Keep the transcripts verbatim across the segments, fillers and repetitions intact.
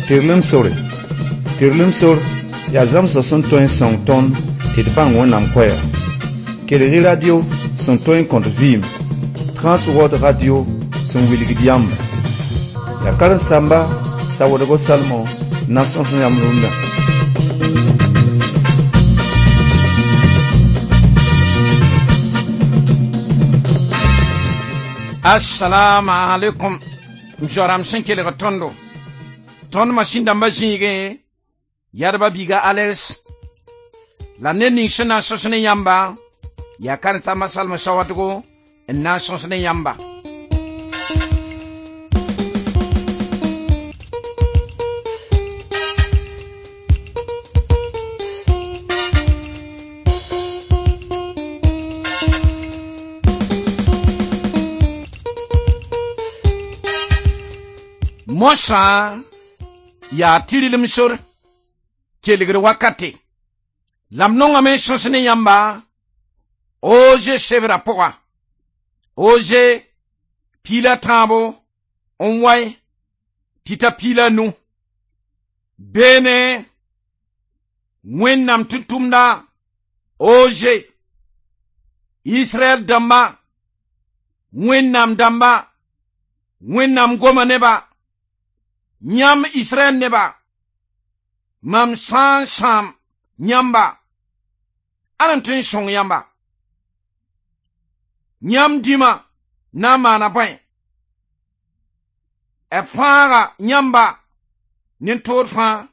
Tɩrlem sore. Tɩrlem sor yaa zãmsg sẽn tõe n sõng tõnd tɩ d bãng Wẽnnaam koɛɛga. Kelg-y radio sẽn tõe n kõt vɩɩm, Transworld Radio sẽn wilgd yãmba. Yaa karen-saamba Sawoodgo Salmo n na n sõs yãmb rũndã. Assalamu alaikum. M zoa-rãmb sẽn kelg tõndo. Tõnd masĩn dãmbã zĩigẽ yadba biiga Alex la ned ning sẽn na n sõs ne yãmba yaa karen-saamba Salmo Sawadgo n na n sõs ne yãmba. Moasã yaa tɩrlem sor kelgr wakate la m nongame n sõs ne yãmba Oze sebrã pʋga. Oze piila tãabo n wae tɩ ta piila nu. Beene Wẽnnaam tʋm-tʋmda Oze Israɛl dãmba Wẽnnaam dãmba Wẽnnaam goma neba yãmb Israɛl neba mam sã n sãam yãmba ãn n tõe n sõng yãmba yãmb dĩmã na n maana bõe b fãaga yãmba ne toor fãa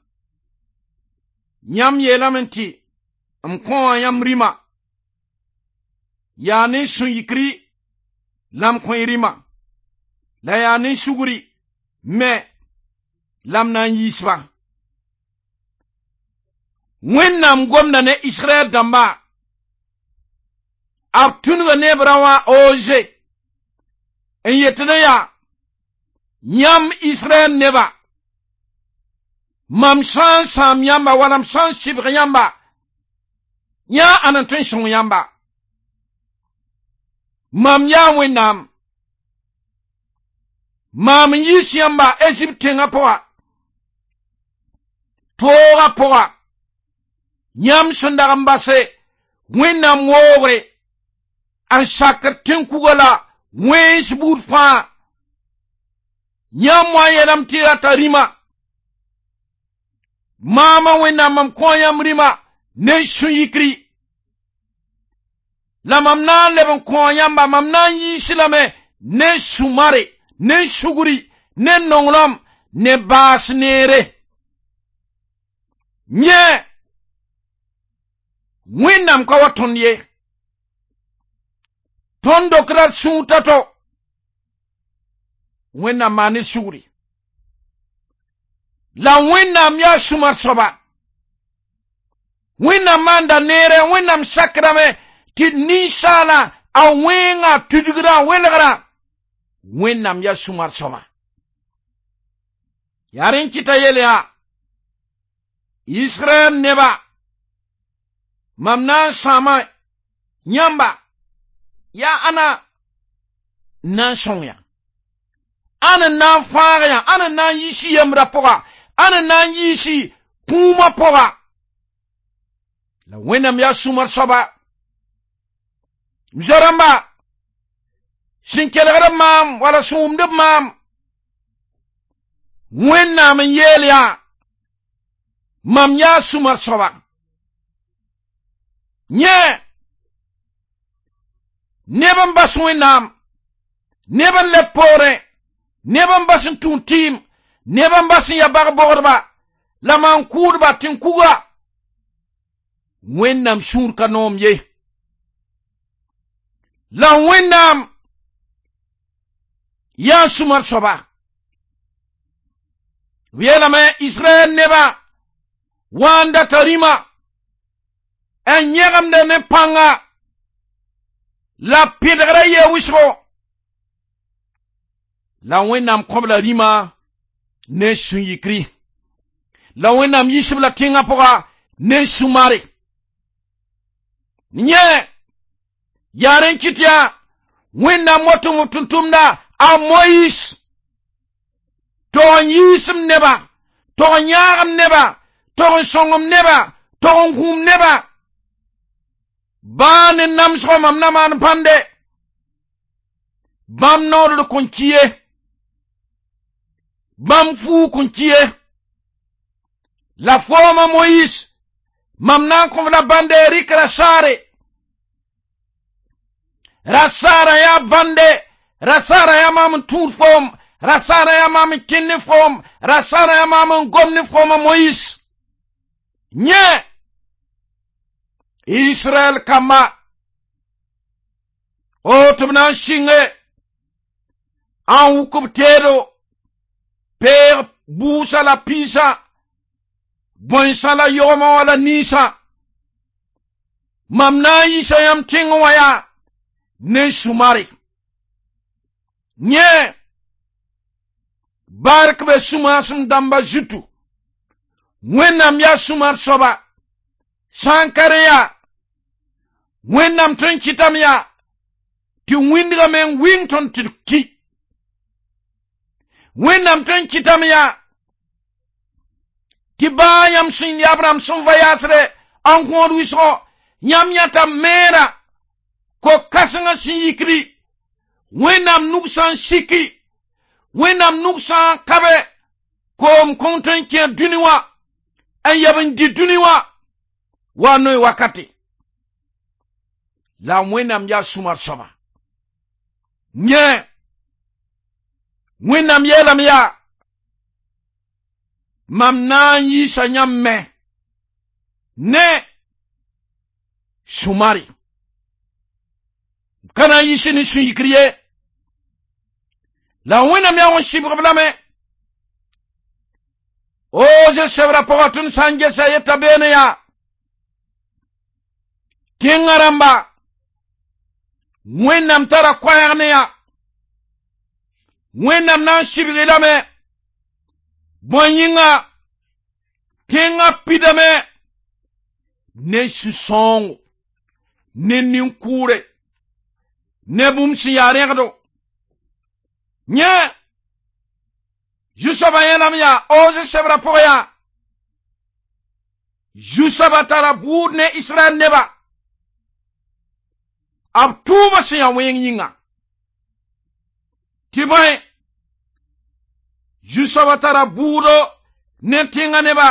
yãmb yeelame tɩ m kõa yãmb rĩma yaa ne sũ-yikri la m kõ y rĩma la yaa ne sugri me la m na n yiis-ba. Wẽnnaam gomda ne Israɛl dãmba b tũnuga ne b rã wã Oze n yet ne yaa yãmb Israɛl neba mam sã n sãam yãmba wala m sã n sɩbg yãmba yã ãn n tõe n sõng yãmba mam yaa Wẽnnaam maam n yiis yãmba Ezipt tẽngã pʋga toogã pʋga yãmb sẽn dag n base Wẽnnaam woogre n sakd tẽn-kuga la wẽns buud fãa yãmb wa n yeelame tɩ y rata rĩma maama Wẽnnaam mam kõ yãmb rĩma ne sũ-yikri la mam na n leb n kõ yãmba mam na n yiis lame ne sũ-mare ne sugri ne nonglem ne baas neere yẽ Wẽnnaam ka wa tõnd ye tõnd dokda d sũur tao-tao Wẽnnaam maan ne sugri la Wẽnnaam yaa sũ-mar soaba Wẽnnaam maanda neere Wẽnnaam sakdame tɩ ninsaala a wẽnga tudgrã welgrã Wẽnnaam yaa sũ-mar soaba yaa rẽ n kɩta yel yaa Israɛl neba mam na n sãama yãmba yaa ãna n na n sõng yã ãn n na n fãag yã ãn n na n yiis yembrã pʋga ãn n na n yiis kũumã pʋga la Wẽnnaam yaa sũ-mar soaba m zoa-rãmba sẽn kelgd b maam wala sẽn wʋmd b maam Wẽnnaam n yeel yaa mam yaa sũ-mar soaba yẽ neb n bas Wẽnnaam neb n leb poorẽ neb n bas n tũud tɩɩm neb n bas n ya bag-bogdba la maan-kʋʋdba tẽn-kuga Wẽnnaam sũur ka noom ye la Wẽnnaam yaa sũ-mar soaba b yeelame Israɛl neba wa n data rĩma n yẽgemde ne pãnga la pẽdgrã yee wʋsgo la Wẽnnaam kõb la rĩma ne sũ-yikri la Wẽnnaam yiisb la tẽngã pʋga ne sũ-mare yẽ yaa rẽ n kɩt yaa Wẽnnaam wa tʋm b tʋm-tʋmda a Moyis tɩ n yiisem neba Tog n yãagem neba, tog n sõngem neba, tog n gũum neba. Baa ne namsgõ mam na maan bãnde. Bãmb noodr kõn ki ye. Bãmb fuug kõn ki ye. La fooma Moyis, mam na n kõ-f la bãnde rɩk rasaare. Rasaarã yaa bãnde, rasaarã yaa maam n tũud foom, rasaarã yaa maam n kẽnd ne foom, rasaarã yaa maam n gom ne foom a Moyis. Yẽ, Israɛl kamba, o tɩ b na n sɩnge, n wʋk b teedo, peeg buusã la piisã, bõensã la yogmã wã la ninsã. Mam na n yiisa yãmb tẽngẽ wã yaa ne sũ-mare. Yẽ, bark be sũ-maasem dãmba zutu. Wẽnnaam yaa sũ-mar soaba. Sã n ka rẽ yaa, Wẽnnaam tõe n kɩtame yaa tɩ wĩndgã meng wɩng tõnd tɩ d ki. Wẽnnaam tõe n kɩtame yaa tɩ baa yãmb sẽn yaa Abraham sẽn va yaasrɛ n gõod wɩsgõ, yãmb yãta meera ko-kãsengã sẽn yikdi, Wẽnnaam nug sã n siki, Wẽnnaam nug sã n kabe, koom kõn tõe n kẽ dũni wã, n yɛb n dɩ dũni wã, wa noy wakate. La Wẽnnaam yaa sũ-mar soaba. Yẽ, Wẽnnaam yeelame yaa, mam na n yiisa yãmb me ne sũ-mare. Ka na n yiis ne sũ-yikr ye. La Wẽnnaam yaa wẽn sɩbg-b lame. O ze-sebrã pʋgã tõnd sã n gesa yeta beene yaa, tẽngã rãmba, Wẽnnaam tara koɛɛg ne yaa. Wẽnnaam na n sɩbg-y lame. Bõe yĩnga, tẽngã pidame ne sũ-sãoongo, ne nin-kʋʋre, ne bũmb sẽn yaa rẽgdo. Yẽ, Zu-soabã yẽlame yaa, o ze-sebrã pʋgẽ yaa, Zu-soabã tara bʋʋd ne Israɛl neba. B tʋʋma sẽn yaa wẽng yĩnga. Tɩ bõe, Zu-soabã tara bʋʋdo ne tẽngã neba,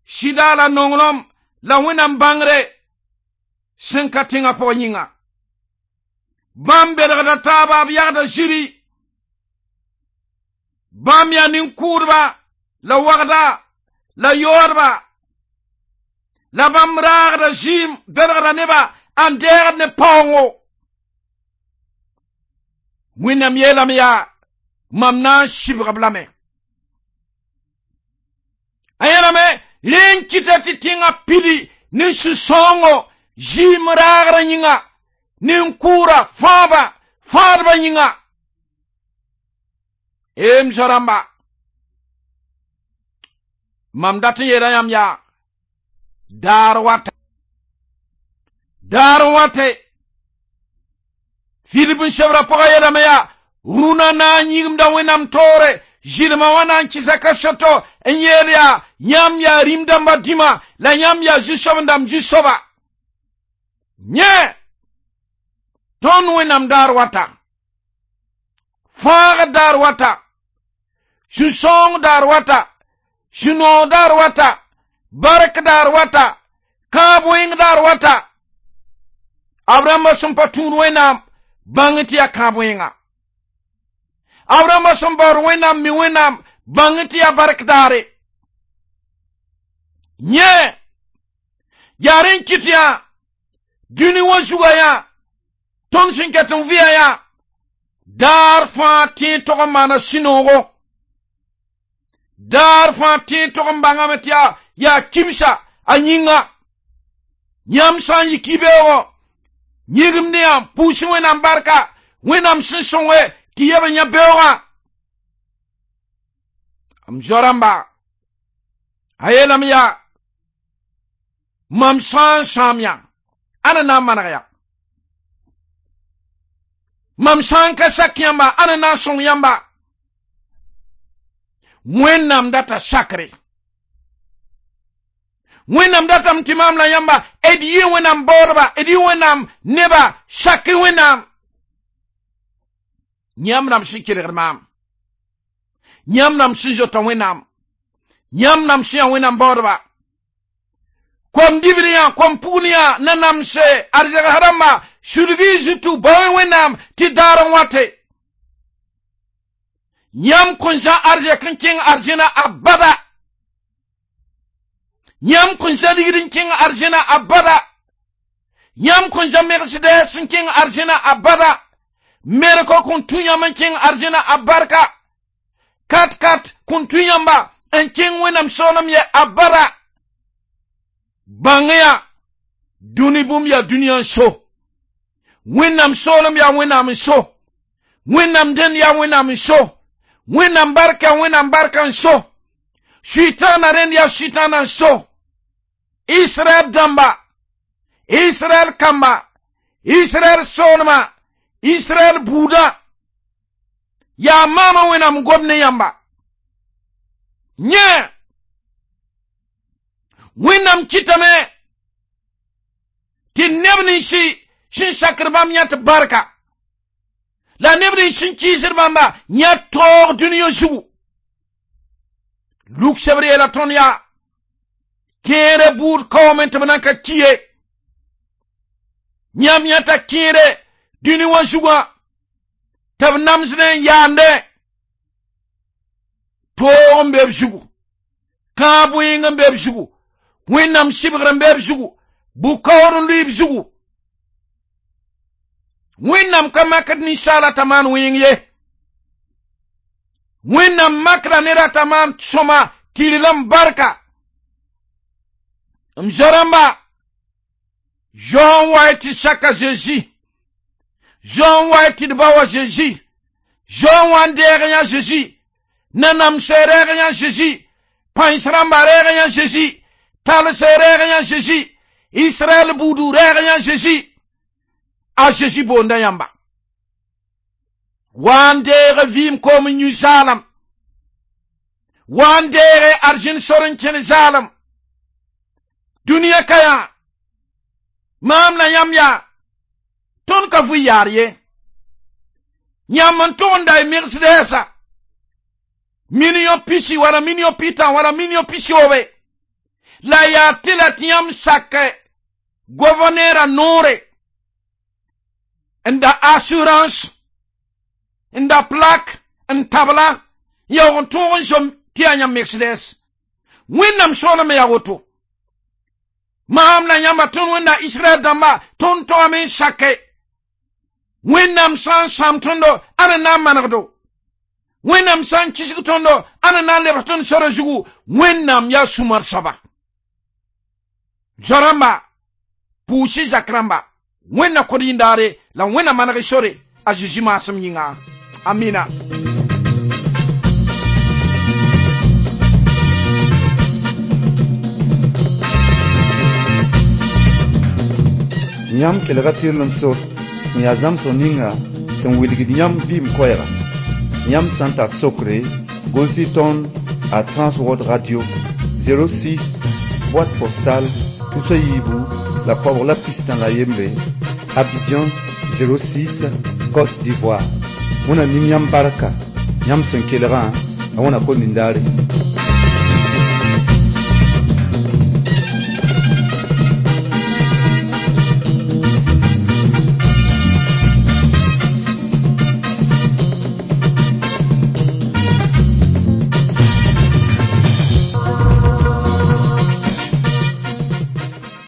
sɩda la nonglem la Wẽnnaam bãngre sẽn ka tẽngã pʋgẽ yĩnga. Bãmb belgda taaba, b yagda zĩri. Bãmb yaa nin-kʋʋdba la wagda la yoodba. La bãmb raagda zĩim belgda neba n deegd ne paoongo. Wẽnnaam yeelame yaa, mam na n sɩbg-b lame. A yeelame, rẽ n kɩta tɩ tẽngã pidi ne sũ-sãoongo zĩim raagrã yĩnga, nin-kʋʋra fãaba, fãadba yĩnga. M zo-rãmba, mam dat n yeela yãmb yaa, daar wata. Daar n wate. Filip n sebrã pʋgã yeelame yaa, rũnã na n yĩgimda Wẽnnaam toore, zɩlmã wã na n kɩsa kaseto n yeel yaa, yãmb yaa rĩm dãmba dĩma, la yãmb yaa zu-soab-dãmb zu-soaba. Yẽ, tõnd Wẽnnaam daar wata. Fãagd daar wata. Sũ-sãoong daar wata. Sũ-noog daar wata. Bark daar wata. Kãab wẽng daar wata. Abraham sẽn pa tũud Wẽnnaam, bãng tɩ yaa kãab wẽnga. Abraham sẽn baood Wẽnnaam mi Wẽnnaam, bãng tɩ yaa bark daare. Yẽ, yaa rẽ n kɩt yaa, dũni wã zugã yaa, tõnd sẽn ket n vɩa yaa, daar fãa tẽeg tog n maana sũ-noogo. Daar fãa tẽeg tog n bãngame tɩ yaa yaa kibsa a yĩnga. Yãmb sã n yi ki-beoogõ, yĩgimd yã pʋʋs Wẽnnaam barka, Wẽnnaam sẽn sõnge tɩ yeb n yã beoogã. M zo-rãmba, a yeelame yaa, mam sã n sãam yã, ãna na n maneg ya? Mam sã n ka sak yãmba, ãna na n sõng yãmba? Wẽnnaam data sakre. Wẽnnaam datame tɩ maam la yãmba d yɩ Wẽnnaam baoodba, d yɩ Wẽnnaam neba, sak Wẽnnaam. Yãmb rãmb sẽn kelgd maam, yãmb rãmb sẽn zota Wẽnnaam, yãmb rãmb sẽn yaa Wẽnnaam baoodba, kom dibr yã, kom pugl yã na namse arzɛgs rãmba, sulg y zutu, bao Wẽnnaam tɩ daar n wate. Yãmb kõn zã arzɛk n kẽng arzẽna abada. Yãmb kõn zã ligd n kẽng arzẽna abada. Yãmb kõn zã megsdɛɛs n kẽng arzẽna abada. Merkã kõn tũ yãmb n kẽng arzẽna a barka. Kat kat kõn tũ yãmba n kẽng Wẽnnaam soolem ye abada. Bãng ya dũni bũmb yaa dũniyã n so. Wẽnnaam soolem yaa Wẽnnaam n so. Wẽnnaam dẽnd yaa Wẽnnaam n so. Wẽnnaam barka Wẽnnaam barka n so. Sʋɩtãana rẽnd yaa sʋɩtãana n so. Israɛl dãmba, Israɛl kamba, Israɛl soolma, Israɛl buudã yaa maama Wẽnnaam gom ne yãmba. Yẽ Wẽnnaam kɩtame tɩ neb ninsi sẽn sakd bãmb yã tɩ barka, la neb nins sẽn kɩɩsd bãmba yã taoog dũniyã zugu. Luk sebr yeela tõnd yaa kẽere buud kaoome tɩ b nan ka ki ye. Yãmb yãta kẽere dũni wã zugã tɩ b namsdẽ n yaande. Toog n be b zugu, kãab wẽng n be b zugu, Wẽnnaam sɩbgr n be b zugu, bʋ-kaoor n lʋɩ b zugu. Wẽnnaam ka makd ninsaala t'a maan wẽng ye. Wẽnnaam makda ned t'a maan sõma tɩrlem barka. M zo-rãmba, Zao n wa tɩ saka Zezi, Zao n wa tɩ d ba wa Zezi, Zao n wa n deeg yã Zezi, nanamsɛ rɛɛg yã Zezi, pãens rãmba rɛɛg yã Zezi, talsɛ rɛɛg yã Zezi, Israɛl buudu rɛɛg yã Zezi. A Zezi boonda yãmba. Wa n deeg vɩɩm koom n yũ zaalam. Wa n deege arzẽn sor n kẽn zaalam. Dũniyã ka yã, maam la yãmb yaa, tõnd ka vʋ yaar ye. Yãmb n tʋg n da y megsdɛɛsa million pisi wala million pitã wala million pisiobe. La yaa tɩ la tɩ yãmb sak gouverneur noore n da assurance, n da plaque, n tabla, yaoog n tõog n zom tɩ yaa yãmb megsdɛɛs. Wẽnnaam soolmã yaa woto. Maam la yãmba tõnd Wẽnna Israɛl dãmba tõnd toame n sake. Wẽnnaam sã n sãam tõndo, ãn n na n manegdo. Wẽnnaam sã n kisg tõndo, ãn n na n lebs tõnd sora zugu. Wẽnnaam yaa sũ-mar soaba. Zo-rãmba, pʋʋs-y zak rãmba, Wẽnna kod yĩndaare la Wẽnna maneg y sore a Zezi maasem yĩnga. Amina. Yãmb kelga tɩrlem sor sẽn yaa zãmsg ninga sẽn wilgd yãmb vɩɩm koɛɛga. Yãmb sã n tar sokre, gʋls-y tõnd a Transworld Radio zéro six, boîte postale tus a yiibu la koabg la pistã la yembre, Abidjan zéro six, Côte d'Ivoire. Wẽnna ning yãmb barka, yãmb sẽn kelgã, a wẽna ko nindaare.